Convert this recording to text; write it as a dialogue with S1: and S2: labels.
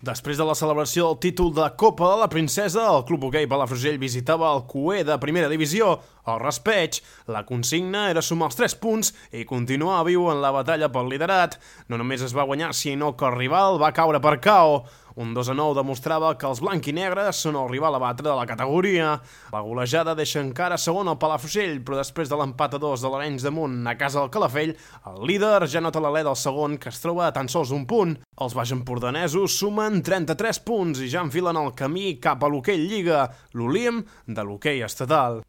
S1: Després de la celebració del títol de Copa de la Princesa, el Club Hoquei Palafrugell visitava el Cué de Primera Divisió, el Raspeig. La consigna era sumar els 3 punts i continuar viu en la batalla pel liderat. No només es va guanyar, sinó que el rival va caure per KO. Un 2-9 demostrava que els blanc-i-negres són el rival a batre de la categoria. La golejada deixa encara segon el Palafrugell, però després de l'empat a 2 de l'Arenys de Munt a casa del Calafell, el líder ja nota l'alè del segon, que es troba a tan sols un punt. Els baixempordanesos sumen 33 punts i ja enfilen el camí cap a l'hoquei Lliga, l'Olim de l'hoquei estatal.